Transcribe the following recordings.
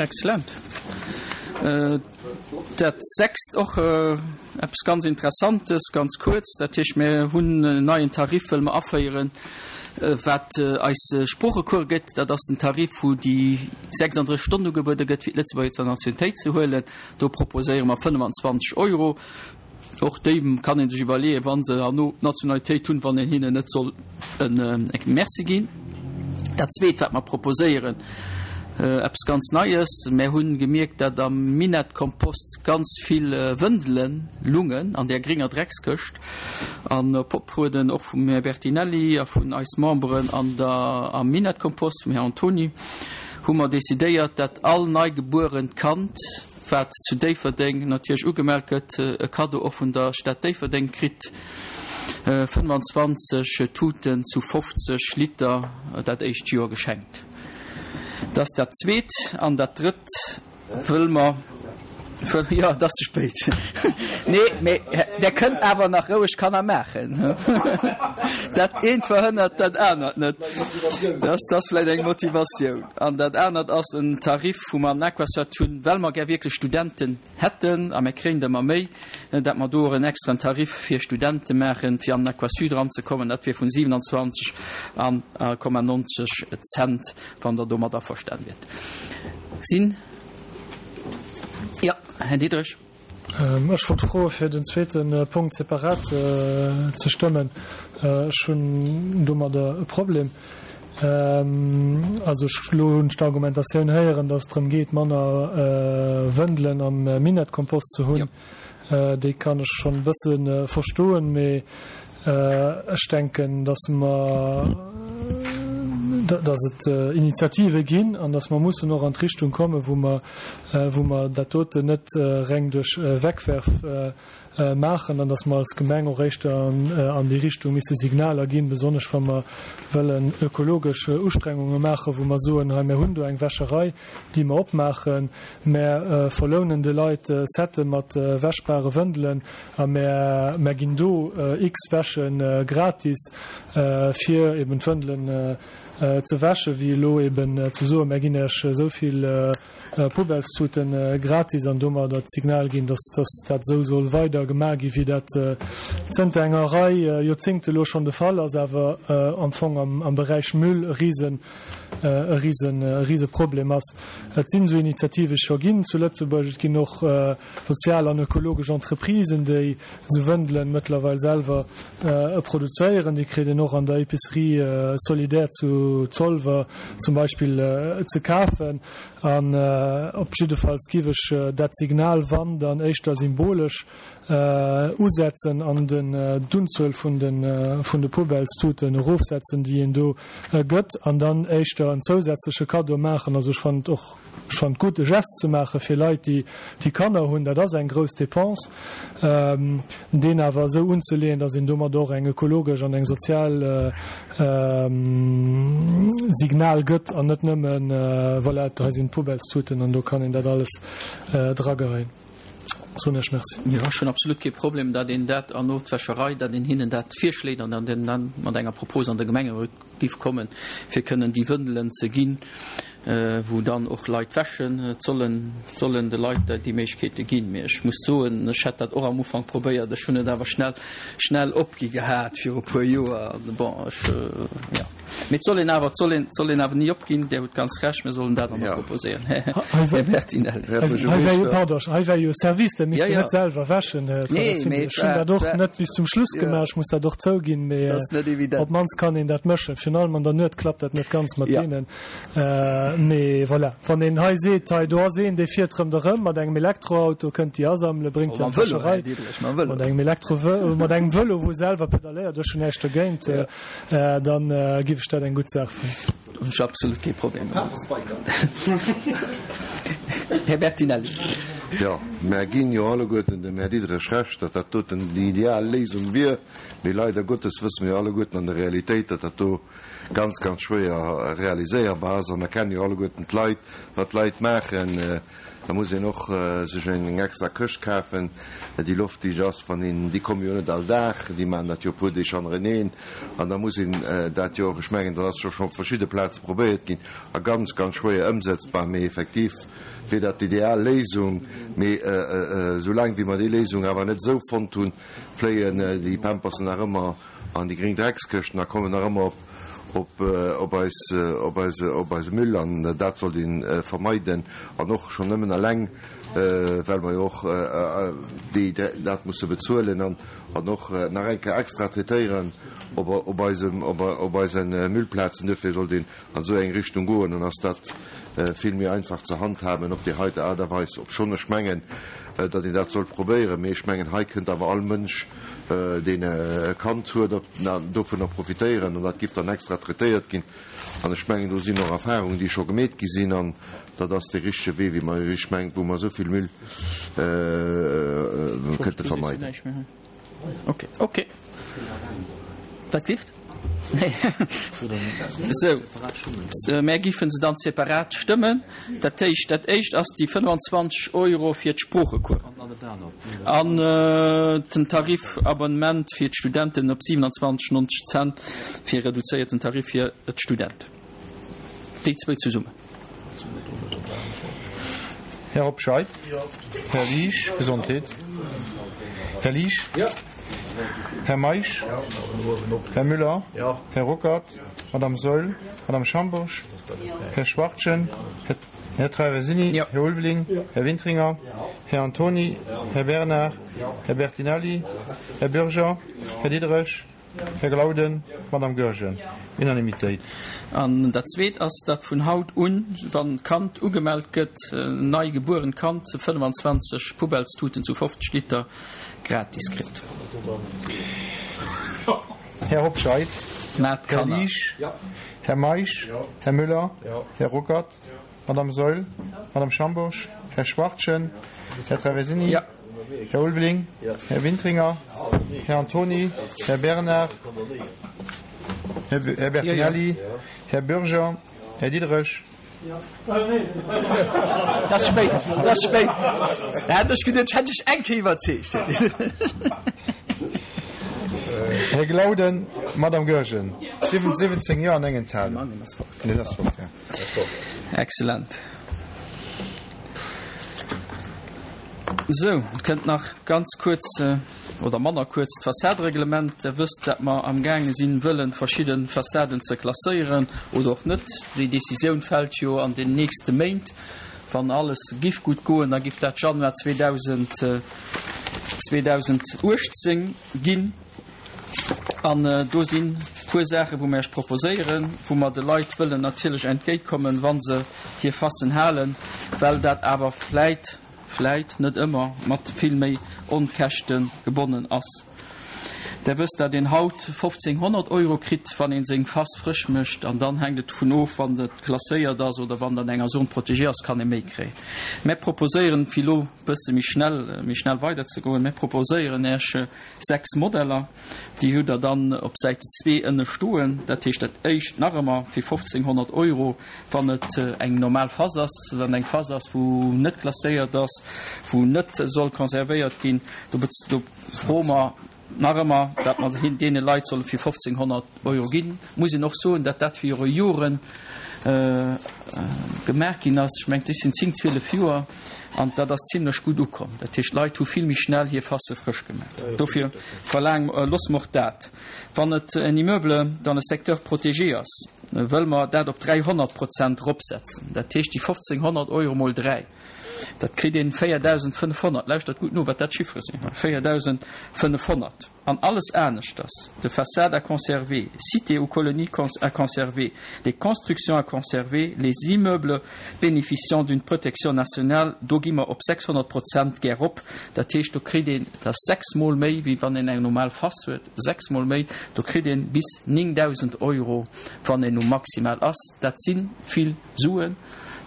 Excellent. Dat sechst, och eppes ganz Interessantes, ganz kuerz, dat heescht, mir hunn en neien Tarif wëlle mer aféieren, wat eis Sproochecourse gëtt. Dat ass den Tarif, wou déi 36 Stonnen ugebuede gëtt, fir d'Lëtzebuerger Nationalitéit ze huelen. Do proposéiere mer 25 Euro. Och déi kann ee sech iwwerleeën, wa se herno d'Nationalitéit hunn, wann een hinnen net soll e Merci ginn. Dat Zweet, wat mer proposéieren, eppes ganz Neies, Mär hu gemierkt, datt am Minett-Kompost ganz vill Wëndele lungen an där gringer Dreckskëscht. An op Oprueden och vum Här Bertinelli a vun eis Memberen an der am Minett-Kompost, vum Här Antony, hu mer decidéiert, datt all neigebuerent Kand, wat zu Déifferdeng natierlech ugemellt gëtt, e Kaddo och vun der Stad Déifferdeng kritt, 25 Tuten zu 50 Liter dat éischt Joer geschenkt. Dat ass dat Zweet. An dat Drëtt wëll mer, jo, et ass ze spéit, nee, mee Der kënnt awer nach roueg Kanner maachen. Dat eent verhënnert dat anert net. Dat ass vläicht eng Motivatioun. An dat anert ass en Tarif, wou mer an Aquasat hunn, well mer gär wierklech Studenten hätten, a mir kréien der ëmmer méi, dat mer do och en extraen Tarif fir Studente maachen, fir an den Aquasud eranzekommen. Dat wier vun 27 a Komma 90 Cent, wann Der domat averstanen wiert. Sinn. Jo, Här Diderich. Ech wollt froe fir den zweete Punkt separat ze stëmmen. Ech hunn domadder e Problem. Also ech elo hunn ech d'Argumentatioun héieren, datt et drëm geet, manner Wëndelen am Minettkompost ze hunn. Déi kann ech schonn e bësse verstoen, mee Ech denken, dass mer, dass et Initiative ginn an dass mer mussen och an d'Richtung kommen, wou mer, wou mer dat doten net reng duerch Wegwerf maachen an dass mer als Gemeng och éischter an déi Richtung misse Signaler ginn, besonnesch wa mer wëllen ökologesch Ustrengunge maachen, wou mer soen, hei mir hunn do eng Wäscherei, déi mer opmaachen, mer verlounen de Leit Sette mat wäschbare Wëndelen, A mär ginn do x Wäsche gratis, fir eben d'Wëndelen ze wäschen, wéi elo eben ze soen, mär ginn Iech esou vill Poubellestuten gratis an domadder d'Signal ginn, dass dat esou soll weider gemaach ginn, wéi dat zënter enger Rei Joerzéngte elo schonn de Fall ass, awer am Fong am Beräich Müll e rise e rise e rise Problem ass. Et sinn esou Initiative scho ginn zu Lëtzebuerg, et ginn och Sozial an ökologesch Entreprisen, déi esou Wëndelen mëttlerweil selwer produzéieren, déi kritt een och an der Épicerie solidaire zu Zolwer zum Beispill ze kafen. An op jiddefalls giff ech dat Signal, wann dann éischter symbolesch, usetzen an d'Unzuel vun de Poubellestuten erofsetzen, déi een do gëtt, an dann éischter en zousätzleche Kaddo maachen. Also ech fannen et och Ech fannen et gutt, e Geste ze maache fir Leit, déi Kanner hunn. Dat ass eng grouss Dépense. Deen awer esou unzeleeën, datt een domat och eng ökologesch an eng sozial Signal gëtt an net nëmmen, voilà, hei sinn d'Poubellstuten an do kann een dat alles drageheien. Soen Iech Merci. Jo, ech hunn absolut kee Problem, datt een dat an no d'Wäscherei, datt een hinnen dat virschléit an datt een dann mat enger Propos an de Gemengerot giff kommen, fir kënnen déi Wëndelen ze ginn, wou dann och Leit wäschen. Et sollen, sollen de Leit déi Méiglechkeete ginn. Mee ech muss soen, ech hätt dat och am Ufank probéiert, ech hunn et awer schnell, schnell opgi gehat viru puer Joer. Bon, ech, jo. Mee et soll een awer, et soll een, et soll een awer ni opginn. Där hutt ganz Recht, mir sollen dat och nach proposéieren, Här Bertinelli. Hei wär jo, pardon, hei wär jo Service, der misst jo net selwer wäschen, Här Traversini. Ech hunn dat och net bis zum Schluss gemaach, ech muss dat och zouginn, mee op d'mannst kann een dat mëschen. Virun allem an der Nuet klappt dat net ganz mat deenen. Mee voilà, wann een hei seet, hei do ass een, dee fiert ronderëm mat engem Elektroauto, kënnt déi asammelen, bréngt déi an d'Wäscherei, mat engem Elektro, mat engem Vëlo, wou e selwer pedaléiert, ech hunn näischt dogéint. Dann giff ech dat eng gutt Saach fannen. Hunn ech absolut kee Problem domat. Här Bertinelli. Jo, mär ginn jo alleguerten dem Här Diderich Recht, datt dat doten déi ideal Léisung wier. Mee leider Gottes wësse mer jo alleguerten an der Realitéit, datt dat do ganz, ganz schwéier realiséierbar ass. A mer kennen jo alleguerten d'Leit, wat d'Leit maachen. Da muss een och sech eng extra Këscht kafen, déi loftdicht ass, wann een, déi komme jo net all Dag, déi maachen dat jo e puer Deeg hannereneen, an da muss een dat jo och, ech mengen, dat ass jo scho op verschidde Plaze probéiert ginn a ganz, ganz schwéier ëmsetzbar, mee effektiv wier dat d'ideal Léisung. Mee soulaang wéi mer déi Léisung awer net esou fonnt hunn, fléien déi Pampersen nach ëmmer an déi gréng Dreckskëschten a kommen nach ëmmer op op eis op eise op eise Müll an dat sollt ee vermeiden an och schonn nëmmen eleng well mer jo och déi dat musse bezuelen an an och nach eng Kéier extra traitéieren op op eisem op op eise Müllplazen. Duerfir sollt een an esou eng Richtung goen, dann ass dat vill méi einfach ze handhaben op déi heite Aart a Weis. Obschonn ech mengen, datt een dat sollt probéieren, mee ech mengen, hei kënnt awer all Mënsch, deen e Kand huet, dovunner profitéieren an dat giff dann extra traitéiert ginn. An ech mengen, do sinn och Erfahrungen, déi scho gemeet gi sinn an dat ass dee richtege Wee, wéi mer, ech mengen, wou mer esou vill Müll kënnte vermeiden. Ok, ok. Wat gift? Nee. Esou, mär giffen se dann separat stëmmen. Dat éischt, dat éischt ass déi 25 Euro fir d'Sproochecoursen an den Tarif Abonnement fir d'Studenten op 27,90 Cent fir reduzéierten Tarif fir d'Studenten. Déi zwou zesummen. Här Hobscheit? Här Liesch, Gesondheet. Här Liesch? Här Meisch? Här Müller? Här Ruckert? Madame Saeul? Madame Schambourg? Här Schwachtgen? Här Traversini? Här Ulveling? Här Wintringer? Här Antony? Här Bernard? Här Bertinelli? Här Bürger? Här Diderich? Här Glauden, Madame Goergen. Unanimitéit. An dat Zweet ass, datt vun haut un, wann d'Kand ugemellt gëtt, en nei gebuerent Kand 25 Poubellstuten zu 50 Liter gratis kritt. Här Hobscheit, Här Liesch, Här Meisch, Här Müller, Här Ruckert, Madame Saeul, Madame Schambourg, Här Schwachtgen, Här Traversini, Här Ulveling, Här Wintringer, Här Antony, Här Bernard, Här Bertinelli, Här Bürger, Här Diderich. Dat ass spéit, dat ass spéit. Da hat ech geduet, ech hätt dech eng Kéier iwwerzeegt. Här Glauden, Madame Goergen, 17 Jo an eng Enthalung. Nee, dat ass fort, ja. Excellent. Sou, et kënnt nach ganz kuerz, oder manner kuerz, d'Fassadereglement. Der wësst, dat mer amgaange sinn, wëllen verschidde Fassaden ze klasséieren oder och net. Déi Décisioun fält jo an den nächste Méint. Wann alles giff gutt goen, da giff dat Januar 2018 ginn. An do sinn e puer Saachen, wou mer Iech proposéieren, wou mer de Leit wëllen natierlech entgéintkommen, wa se hir Fassen halen, well dat awer vläit, vläit, net ëmmer, mat vill méi Onkäschte gebonnen ass. Der wësst, dat een haut 1.500 Euro kritt, wann ee seng Fass frësch mécht. An dann hänkt et dovun of, wann et klasséiert ass oder wann et an enger Zone protégée ass, kann ee méi kréien. Mär proposéieren, fir elo e bësse méi schnell, méi schnell weiderzegoen, mär proposéieren Iech, 6 Modeller, déi hutt Der dann op Säite zwee ënne stoen. Dat heescht, dat éischt nach ëmmer fir 1.500 Euro, wann et eng normal Fass ass, wann eng Fass ass, wou net klasséiert ass, wou net soll konservéiert ginn, do do froe mer nach ëmmer, datt mer deene Leit solle fir 1.500 Euro ginn. Muss een och soen, datt dat viru Joren gemaach ginn ass. Ech mengen, dat sinn 10, 12 Joer. An dat ass zimlech gutt ukomm. Dat heescht, d'Leit hu vill méi schnell hir Fasse frësch gemaach. Dofir verlaange mer, loosse mer och dat, wann et en Immeuble dans le secteur protégé ass, wëlle mer dat op 300 Prozent eropsetzen. Dat heescht, déi 1.500 Euro mol dräi, dat kritt een 4.500. Lauschtert gutt no, wat dat Chiffere sinn, 4.500. An alles aneschters, de façades à conserver, cités ou colonies à conserver, les constructions à conserver, les immeubles bénéficiant d'une protection nationale, do gi mer op 600 Prozent gär rop. Dat heescht, do kritt een, dat ass sechsmol méi, wéi wann een eng normal Face huet, sechsmol méi, do kritt een bis 9.000 Euro, wann een um Maximal ass. Dat si vill Suen.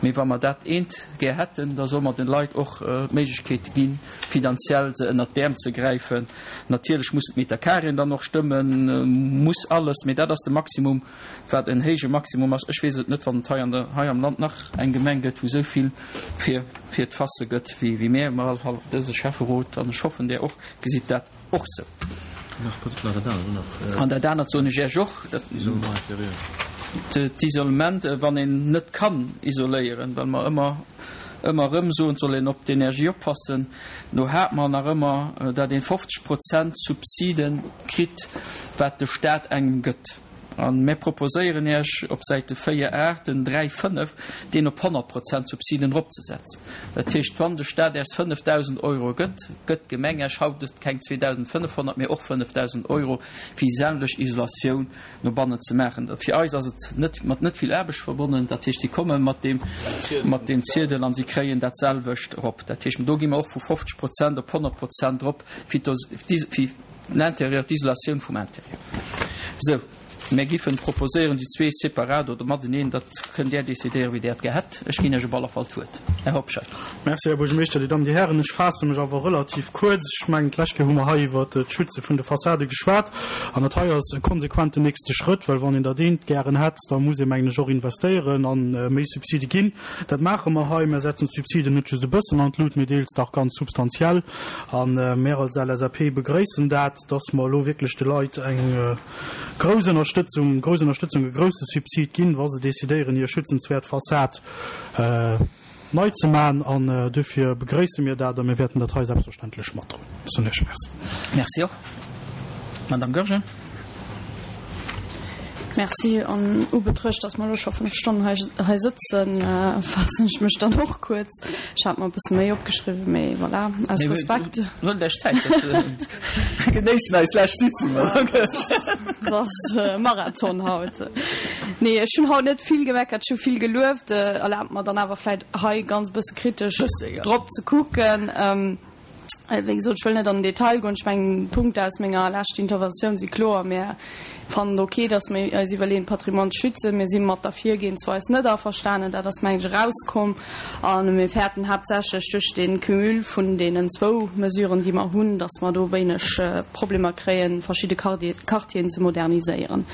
Mee wa mer dat eent gär hätten, da solle mer de Leit och d'Méiglechkeet ginn, finanziell se ënnert d'Äerm ze gräifen. Natierlech mussen d'Metercarréen dann och stëmmen, muss alles, mee dat ass de Maximum, wat en héije Maximum ass. Ech weess et net, wann et hei an der, hei am Land nach eng Gemeng gëtt, wou esou vill fir, fir d'Fasse gëtt wéi, wéi mär. Mä op alle Fall dëse Schäfferot, an ech hoffen, där och, gesitt dat och sou. An dat anert soen ech Iech och, dat d'Isolement, wann een net kann isoléieren, well mer ëmmer, ëmmer erëm soen, et soll een op d'Energie oppassen, do hate mer nach ëmmer, dat ee 50 Prozent Subside kritt, wat de Staat engem gëtt. A mir proposéieren Iech op Säite 4, 8 den 3, 5, deen op 100 Prozent Subsiden eropzesetzen. Dat heescht, wann de Stat Iech 5.000 Euro gëtt, gëtt d'Gemeng Iech haut keng 2.500, mee och 5.000 Euro, fir déi selwecht Isolatioun no bannen ze maachen. Fir eis ass et net mat net vill Aarbecht verbonnen. Dat heescht, si komme mat deem, mat deem Ziedel an si kréien dat selwecht erop. Dat heescht, do gi mer och vu 50 Prozent op 100 Prozent erop fir d'Is-, fir L'intérieur, d'Isolatioun vum Intérieur. Sou, mär giffen proposéieren, déi zwee separat oder mateneen, dat kënnt Där decidéieren, wéi Där et gär hätt. Ech ginn Iech op alle Fall d'Wuert, Här Hobscheit. Merci, Här Buergermeeschter, Dir Dammen, Dir Hären. Ech faasse mech awer relativ kuerz. Ech mengen, d'lescht Kéier hu mer hei iwwert d'Schütze vun de Fassade geschwat. An dat hei ass e konsequenten nächste Schrëtt, well wann een dat eent gären hätt, da muss ee, mengen ech, och investéieren a méi Subside ginn. Dat maache mer hei. Mer setzen d'Subsiden net just e bëssen an d'Lut, mee deels dach ganz substantiell. A mär als LSAP begréissen dat, dass mer elo wierklech de Leit eng grouss Ënnerstëtzung, grouss Ënnerstëtzung, e grousse Subsid ginn, wa se decidéieren, hir schützenswäert Fassad nei ze maachen. An duerfir begréisse mir dat a mir wäerten dat hei selbstverständlech matdroen. Ech soen Iech Merci. Merci och. Madame Goergen. Merci. An ubetruecht, dass mer elo scho 5 Stonnen hei, hei sëtzen, faassen ech mech dann och kuerz. Ech hat mer e bësse méi opgeschriwwen, mee voilà, aus Respekt. Huelt Iech Zäit, mir genéissen eis lescht Sitzung. Et ass Marathon haut. Nee, ech hunn haut net vill gemeckert, ech hu vill gelueft. Erlaabt mer dann awer vläicht hei ganz e bësse kritesch drop ze kucken. Wéi gesot, ech wëll net an den Detail goen. Ech mengen, d'Punkte aus menger leschter Interventioun si kloer. Mir fannen et ok, datt mir eis iwwerleeën, d'Patrimoine ze schützen. Mir si mat der Virgehensweis net averstanen. Dat ass, mengen ech, erauskomm. A mir fäerten haaptsächlech duerch de Cumul vun deenen zwou Mesuren, déi mer hunn, datt mer do wéineg Problemer kréien, verschidde Quartieren ze moderniséieren.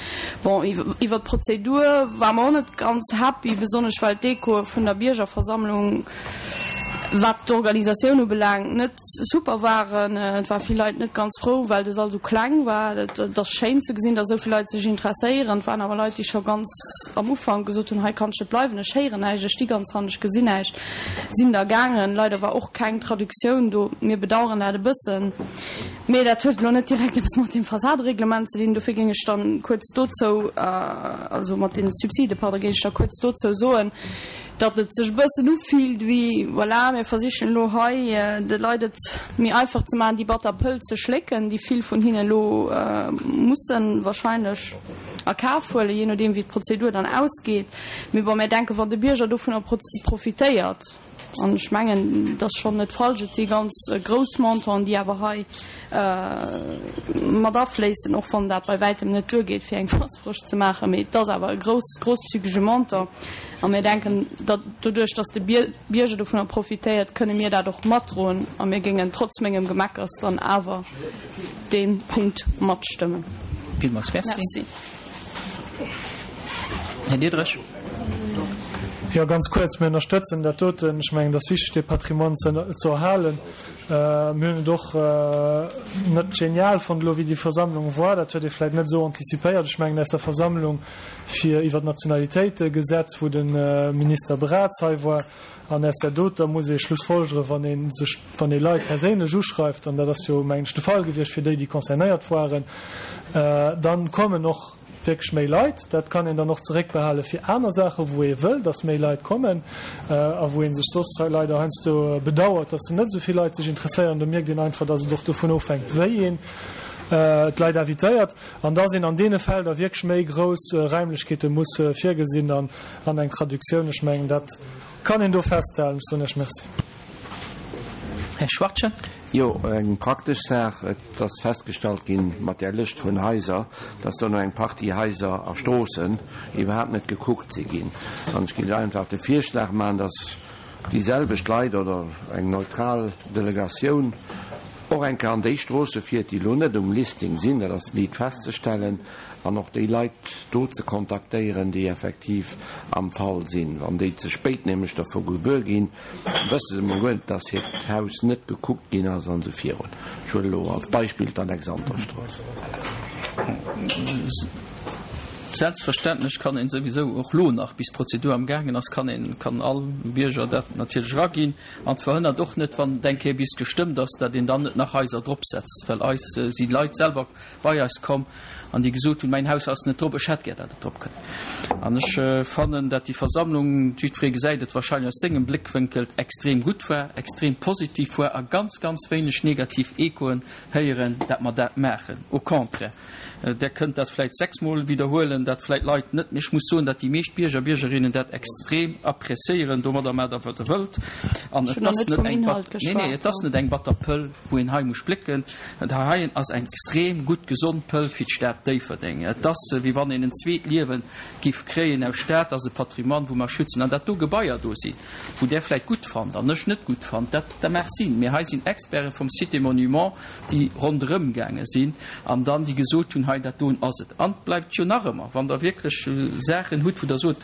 Bon, iwwert d'Prozedur ware mer och net ganz happy, besonnesch well d'Echoe vun der Biergerversammlung, wat d'Organisatioun ubelaangt, net super waren. Et ware vill Leit net ganz frou, well de Sall esou kleng war. Et ass schéin ze gesinn, datt esou vill Leit sech interesséieren. Et waren awer Leit, déi scho ganz am Ufank gesot hunn, hei kann ech net bleiwen, ech héieren näischt, ech sti ganz hannen, ech gesinn näischt. Sinn da gaangen. Leider war och keng Traductioun do. Mir bedauern dat e bëssen. Mee dat huet elo net direkt eppes mat deem Fassadereglement ze dinn. Dofir géing ech dann kuerz dozou, also mat deene Subside, pardon, géing ech da kuerz dozou soen, datt et sech e bëssen ufillt wéi, voilà, mir versichen elo hei de Leit et méi einfach ze maachen, déi batter Pëll ze schlécken, déi vill vun hinnen elo mussen wahrscheinlech a Kaf huelen, jee nodeem wéi d'Prozedur dann ausgeet. Mee bon, mir denken, wann de Bierger dovunner profitéiert, an ech mengen, et ass schonn net falsch, et si ganz grouss Montanten, déi awer hei mat afléissen, och wann dat bei wäitem net duergeet, fir eng Fass frësch ze maachen, mee et ass awer e grouss, grosszügege Montant. A mir denken, datt doduerch, datt de Bierger dovunner profitéiert, kënne mir dat och matdroen a mir géingen trotz mengem Gemeckers dann awer dee Punkt matstëmmen. Villmools merci. Här Diderich. Jo, ganz kuerz, Mir ënnerstëtzen dat doten. Ech mengen, et ass wichteg, dee Patrimoine ze ze erhalen. Mir hunn et och net genial fonnt elo, wéi déi Versammlung war. Dat huet ee vläicht net esou antizipéiert. Ech mengen, aus der Versammlung fir iwwer d'Nationalitéitegesetz, wou de Minister Braz hei war, an aus där doter muss ee schlussfolgeren, wann ee sech, wann ee Leit perséinlech uschreift, an dat ass jo, mengen ech, de Fall gewiescht fir déi, déi concernéiert waren, dann kommen och wierklech méi Leit. Dat kann een dann och zeréckbehale fir aner Saachen, wou ee wëll, dass méi Leit kommen a wou ee sech soss leider heiansdo bedauert, dass net esou vill Leit sech interesséieren. Do mierkt een einfach, dass et och dovun ofhänkt, wéi een d'Leit invitéiert an dass een an deene Fäll da wierklech méi grouss Räimlechkeete muss virgesinn an eng Traductioun. Ech mengen, dat kann een do festhalen. Ech soen Iech Merci. Här Schwachtgen. Jo, eng praktesch Saach. Et ass festgestallt ginn, mat där Lëscht vun Haiser, dass do nach eng Partie Haiser a Stroossen iwwerhaapt net gekuckt si ginn. An ech géif einfach de Virschlag maachen, dass déi selwecht Leit oder eng neutral Delegatioun och eng Kéier an déi Stroosse fiert, déi elo net um Listing sinn, dat ass liit festzestellen, an och déi Leit do ze kontaktéieren, déi effektiv am Fall sinn. Wann déi ze spéit nämlech dervu gewuer ginn, wësse se emol guer net, dass hiert Haus net gekuckt ginn ass an esou virun. Ech huelen elo als Beispill d'Alexanderstrooss. Selbstverständlech kann een souwisou och lo nach, bis d'Prozedur am gaangen ass, kann een, kann all Bierger dat natierlech eraginn. An et verhënnert och net, wann et eng Kéier bis gestëmmt ass, datt een dann net nach Haiser dropsetzt, well eis si Leit selwer bei eis komm an déi gesot hunn, Mäin Haus ass net drop, ech hätt gär, datt et drop kënnt. An ech fannen, datt déi Versammlung, jiddweree gesäit et wahrscheinlech aus sengem Bléckwénkel, extrem gutt war, extrem positiv war a ganz, ganz wéineg negativ Echoen héieren, datt mer dat maachen. Au contraire, Der kënnt dat vläit sechsmol widderhuelen, dat vläit Leit net, mee ech muss soen, datt déi meescht Bierger a Biergerinnen dat extrem appréciéieren. Domadder maacht Der, wat Der wëllt. An et ass net eng, nee, nee, et ass net eng batter Pëll, wou een hei muss splécken. Dat heien ass eng extrem gutt, gesond Pëll fir d'Stad Déifferdeng. Et ass, wéi wann een en zweet Liewe giff kréien aus Stad. Dat ass e Patrimoine, wou mer schützen. An dat do Gebaier do sinn, wou Der vläicht gutt fannt an ech net gutt fannt, dat, dat mag sinn. Mee hei sinn Experte vum Site des Monuments, déi ronderëm gaange sinn an dann déi gesot hunn, hei dat doen ass et. An et bleift jo nach ëmmer, wann Der wierklech Saachen hutt, wou Der sot,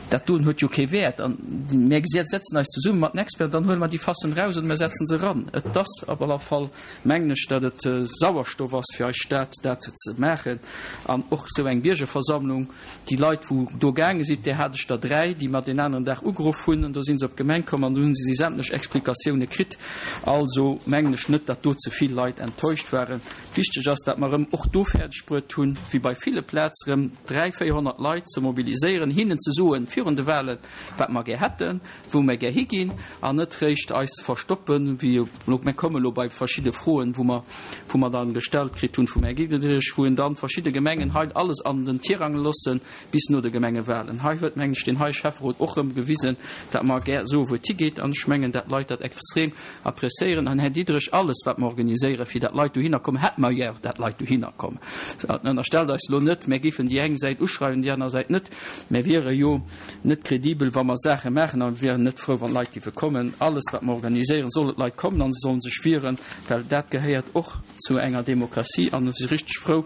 dat doen huet jo kee Wäert an mir setzen eis zesumme mat den Experten, dann huele mer déi Fassen eraus oder mir setzen se eran. Et ass op aller Fall, mengen ech, datt et Sauerstoff ass fir eis Stad, dat ze maachen an och esou eng Biergerversammlung. Déi Leit, wou do gaange sinn, där hat ech der 3, déi mer deen aneren Dag ugeruff hunn, an do si se op d'Gemeng komm an do hu se déi sämtlech Explikatioune kritt. Also mengen ech net, datt do ze vill Leit enttäuscht waren. Wichteg ass, datt mer erëm och do fäerdeg bruet hunn, wéi bei ville Plaz erëm 300, 400 Leit ze mobiliséieren, hinnen ze soen virun de Wahlen, wat mer gär hätten, wou mer gär higinn, an net réischt eis verstoppen, wéi elo, mer komme elo bei verschidde Froen, wou mer, wou mer dann gestallt kritt hunn vum Här Diderich, wou en dann verschidde Gemengen hei alles an den Tirang loosse bis no de Gemengewahlen. Hei huet, mengen ech, deen heie Schäfferot och erëm gewisen, dat mer gär soe wou et higeet, an ech mengen, dat d'Leit dat extrem appréciéieren. An, Här Diderich, alles wat mer organiséieren, fir dat Leit dohinner kommen, hätte mer gär, dat Leit dohinner kommen. Ënnerstellt eis elo net, mer géifen déi eng Säit uschreiwen, déi aner Säit net. Mer wiere jo net kredibel, wa mer Saache maachen a mir wieren net frou, wann Leit géife kommen. Alles, wat mer organiséieren, solle d'Leit kommen a se sollen sech wieren, well dat gehéiert och zu enger Demokratie. An ech si richteg frou,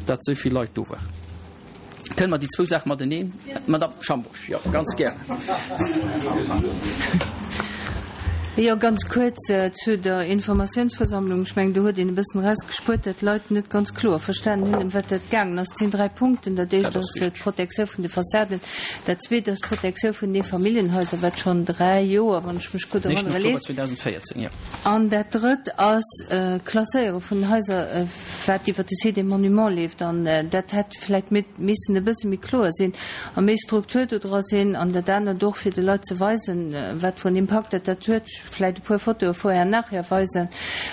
datt esou vill Leit do waren. Kënne mer déi zwou Saache mateneen? Madamm Schambourg, jo, ganz gär. Jo, ganz kuerz zu der Informatiounsversammlung. Ech mengen, do huet een e bëssen erausgespuert, datt d'Leit net ganz kloer verstanen hunn, ëm wat dat gaangen ass. Et sinn dräi Punkten. Dat éischt ass d'Protektioun vun de Fassaden. Dat zweet ass d'Protektioun vun Eefamilljenhaiser, wat schonn dräi Joer, wann ech mech gutt erënnere, leeft. An dat drëtt ass d'Klasséiere vun den Haiser, wat iwwer de Site des Monuments leeft. An dat hätt vläicht missen e bësse méi kloer sinn a méi Struktur do dra sinn an dat anert och, fir de Leit ze weisen, wat fir en Impakt dat dat huet, vläicht e puer Fotoe vorher, nachher weisen,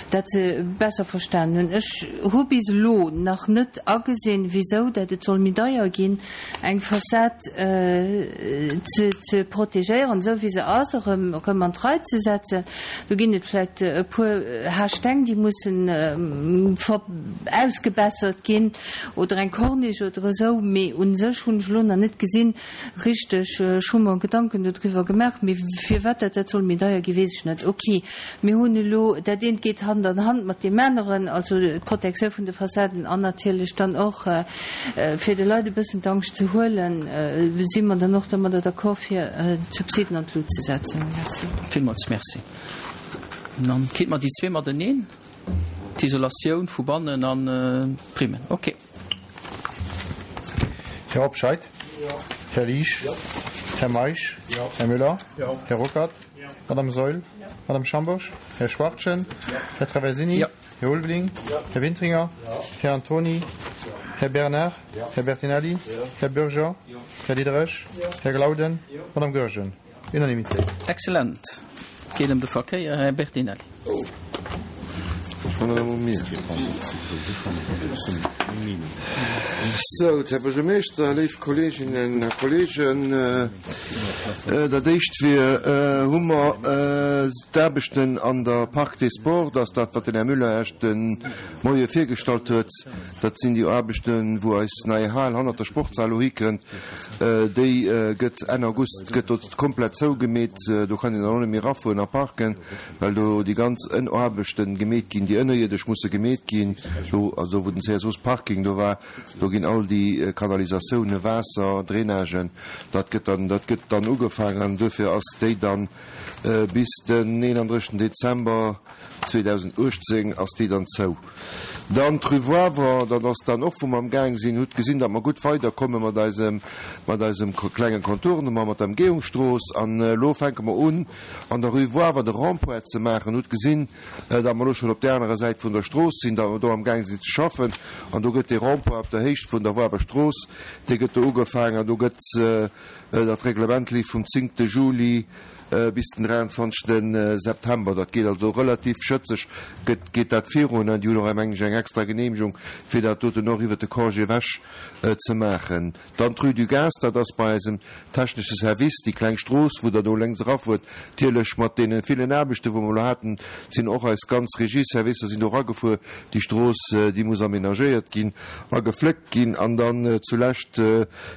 dat se besser verstanen hunn. Ech hu bis elo nach net agesinn, wisou dat et soll méi deier ginn, eng Fassad ze ze protegéieren, esou wéi se ass, erëm erëm an d'Rei ze setzen. Do ginn et vläicht e puer Haarsteng, déi mussen ausgebessert ginn oder eng Corniche oder esou, mee u sech hunn ech elo nach net gesinn richteg. Ech hu mer Gedanken dodriwwer gemaach, mee firwat dat dat soll méi deier ginn, weess ech net. Ok, mir hunn elo, dat eent geet Hand an Hand mat deem aneren, also d'Protektioun vun de Fassaden an natierlech dann och fir de Leit e bëssen d'Angscht ze huelen, si mer dann och domadder d'accord fir d'Subsiden an d'Lut ze setzen. Merci. Villmools Merci. Dann kritt mer déi zwee mateneen, d'Isolatioun vu bannen an d'Primmen. Ok. Här Hobscheit? Här Liesch? Här Meisch? Här Müller? Här Ruckert? Madame Saeul? Madame Schambourg? Här Schwachtgen? Här Traversini? Här Ulveling? Här Wintringer? Här Antony? Här Bernard? Här Bertinelli? Här Bürger? Här Diderich? Här Glauden? Madame Goergen? Unanimité. Excellent. Et geet ëm de Verkéier. Här Bertinelli. Sou, Här Buergermeeschter, léif Kolleeginnen a Kolleegen, dat éischt wier, hu mer d'Aarbechten an der Parc des Sports, dat ass dat, wat den Här Müller Iech de Moie virgestallt huet. Dat sinn déi Aarbechten, wou eis nei Hal hannert der Sportshal elo hikënnt. Déi gëtt Enn August gëtt do komplett zougemeet. Do kann een dann och net méi erafueren a parken, well do déi ganz Ënnaarbechten gemeet ginn, déi ënnerierdesch musse gemeet ginn. Do, also wou den CSOs Parking do war, do ginn all déi Kanalisatiounen, Waasser, Drainagen, dat gëtt dann, dat gëtt dann ugefaangen an duerfir ass déi dann bis den 31 Dezember 2018 ass déi dann zou. Dann d'Rue Woiwer, dat ass dann och, wou mer amgaang sinn. Hutt gesinn, datt mer gutt weiderkomme mat eisem, mat eisem klengen Contournement, mat der Emgehungsstrooss. An elo fänke mer un, an der Rue Woiwer de Rond-point ze maachen. Hutt gesinn, datt mer elo schonn op där anerer Säit vun der Strooss sinn, datt mer do amgaang sinn ze schaffen. An do gëtt dee Rond-point op der Héicht vun der Woiwer Strooss, dee gëtt do ugefaangen. An do gëtt dat Reglement leeft vum zéngte Juli bis den 23 September. Dat geet also relativ schëtzeg gëtt, geet dat virun. An déi hunn och, mengen ech, eng extra Genehmegung, fir dat doten och iwwert de Congé ewech ze maachen. Dann d'Rue du Gaz, dat ass bei eisem technesche Service, déi kleng Strooss, wou Der do lénks erafuert. Natierlech mat deene villen Aarbechten, wou mer elo haten, sinn och eis ganz Regieservicer sinn do eragefuer. Déi Strooss, déi muss aménagéiert ginn a gefléckt ginn. An dann zulescht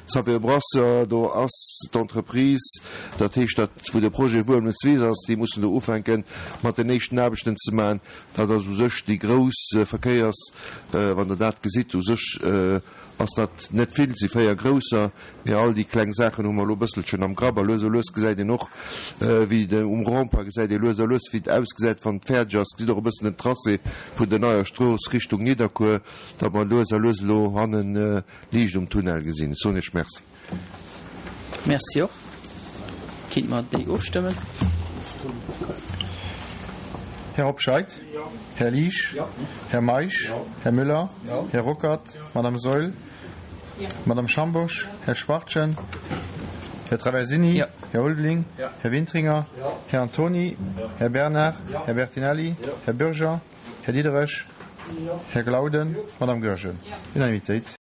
Xavier Brasseur, Do ass d'Entreprise, dat heescht dat wou de Projet Wuelmeswiss ass, déi mussen do ufänken mat den éischten Aarbechten ze maachen. Dat ass u sech déi grouss Verkéiers, wann Der dat gesitt, u sech ass dat net vill, et si 4 grousser, mee all déi kleng Saachen hu mer elo e bësselchen am Grapp. A lues a lues gesäit een och wéi de, um Rond-point gesäit ee lues a lues wéi et ausgesäit wann et fäerdeg ass. Gesitt och e bëssen den Tracé vun der neier Strooss Richtung Nidderkuer, datt mer lues a lues elo hannen Liicht um Tunnel gesinn. Ech soen Iech Merci. Merci och. Kinnt mer déi ofstëmmen? Här Hobscheit? Här Liesch? Här Meisch? Här Müller? Här Ruckert? Madame Saeul? Madame Schambourg? Här Schwachtgen? Här Traversini? Här Ulveling? Här Wintringer? Här Antony? Här Bernard? Här Bertinelli? Här Bürger? Här Diderich? Här Glauden? Madame Goergen? Unanimitéit.